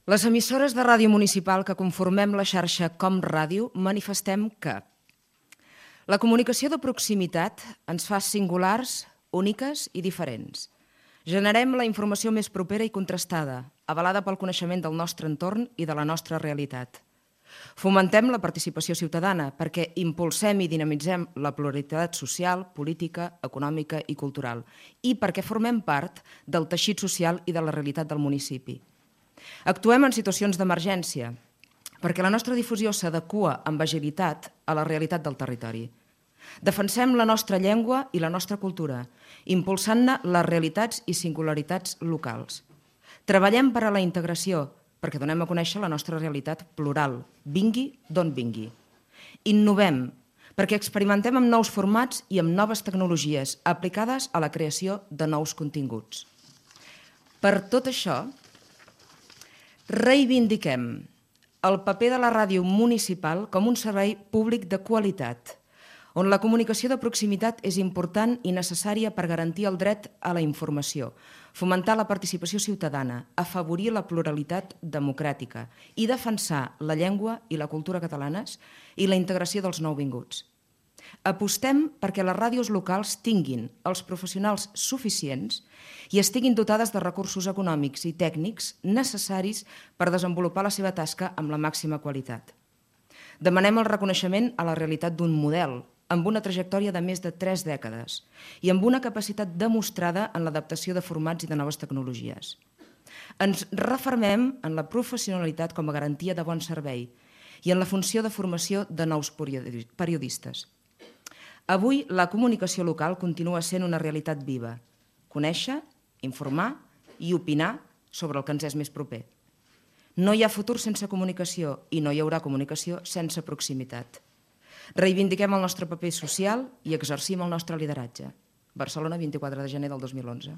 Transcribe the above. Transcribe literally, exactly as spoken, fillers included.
Les emissores de ràdio municipal que conformem la xarxa Com Ràdio manifestem que la comunicació de proximitat ens fa singulars, úniques i diferents. Generem la informació més propera i contrastada, avalada pel coneixement del nostre entorn i de la nostra realitat. Fomentem la participació ciutadana perquè impulsem i dinamitzem la pluralitat social, política, econòmica i cultural i perquè formem part del teixit social i de la realitat del municipi. Actuem en situacions d'emergència perquè la nostra difusió s'adequa amb agilitat a la realitat del territori. Defensem la nostra llengua i la nostra cultura, impulsant-ne les realitats i singularitats locals. Treballem per a la integració, perquè donem a conèixer la nostra realitat plural, vingui d'on vingui. Innovem, perquè experimentem amb nous formats i amb noves tecnologies aplicades a la creació de nous continguts. Per tot això, reivindiquem el paper de la ràdio municipal com un servei públic de qualitat, on la comunicació de proximitat és important i necessària per garantir el dret a la informació, fomentar la participació ciutadana, afavorir la pluralitat democràtica i defensar la llengua i la cultura catalanes i la integració dels nouvinguts. Apostem perquè les ràdios locals tinguin els professionals suficients i estiguin dotades de recursos econòmics i tècnics necessaris per desenvolupar la seva tasca amb la màxima qualitat. Demanem el reconeixement a la realitat d'un model, amb una trajectòria de més de tres dècades i amb una capacitat demostrada en l'adaptació de formats i de noves tecnologies. Ens refermem en la professionalitat com a garantia de bon servei i en la funció de formació de nous periodistes. Avui, la comunicació local continua sent una realitat viva. Conèixer, informar i opinar sobre el que ens és més proper. No hi ha futur sense comunicació i no hi haurà comunicació sense proximitat. Reivindiquem el nostre paper social i exercim el nostre lideratge. Barcelona, vint-i-quatre de gener del dos mil onze.